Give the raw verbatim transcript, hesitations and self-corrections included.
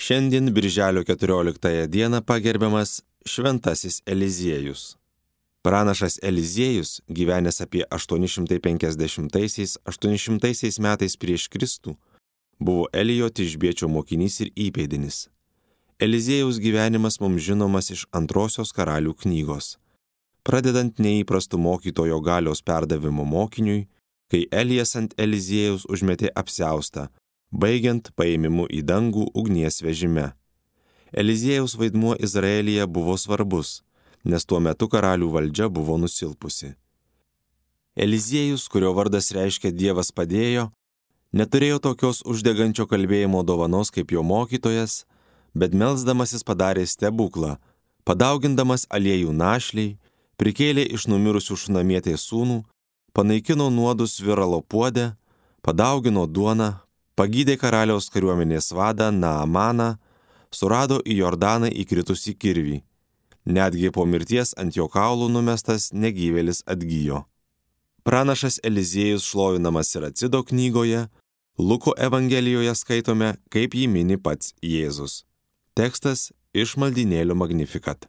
Šiandien birželio keturioliktąją dieną pagerbiamas Šventasis Eliziejus. Pranašas Eliziejus, gyvenęs apie aštuoni šimtai penkiasdešimtaisiais - aštuoni šimtaisiais metais prieš Kristų, buvo Elijo Tišbiečio mokinys ir įpėdinis. Eliziejaus gyvenimas mums žinomas iš Antrosios karalių knygos. Pradedant neįprastu mokytojo galios perdavimu mokiniui, kai Elijas ant Eliziejaus užmetė apsiaustą, baigiant paėmimu į dangų ugnies vežime. Eliziejaus vaidmuo Izraelyje buvo svarbus, nes tuo metu karalių valdžia buvo nusilpusi. Eliziejus, kurio vardas reiškia Dievas padėjo, neturėjo tokios uždegančio kalbėjimo dovanos kaip jo mokytojas, bet melsdamasis padarė stebuklą, padaugindamas aliejų našliai, prikėlė iš numirusių šunamietės sūnų, panaikino nuodus viralo puodę, padaugino duoną, pagydė karaliaus kariuomenės vadą Naamaną, surado į Jordaną įkritusį kirvį. Netgi po mirties ant jo kaulų numestas negyvėlis atgijo. Pranašas Eliziejus šlovinamas Siracido knygoje, Luko evangelijoje skaitome, kaip jį mini pats Jėzus. Tekstas iš maldynėlio Magnificat.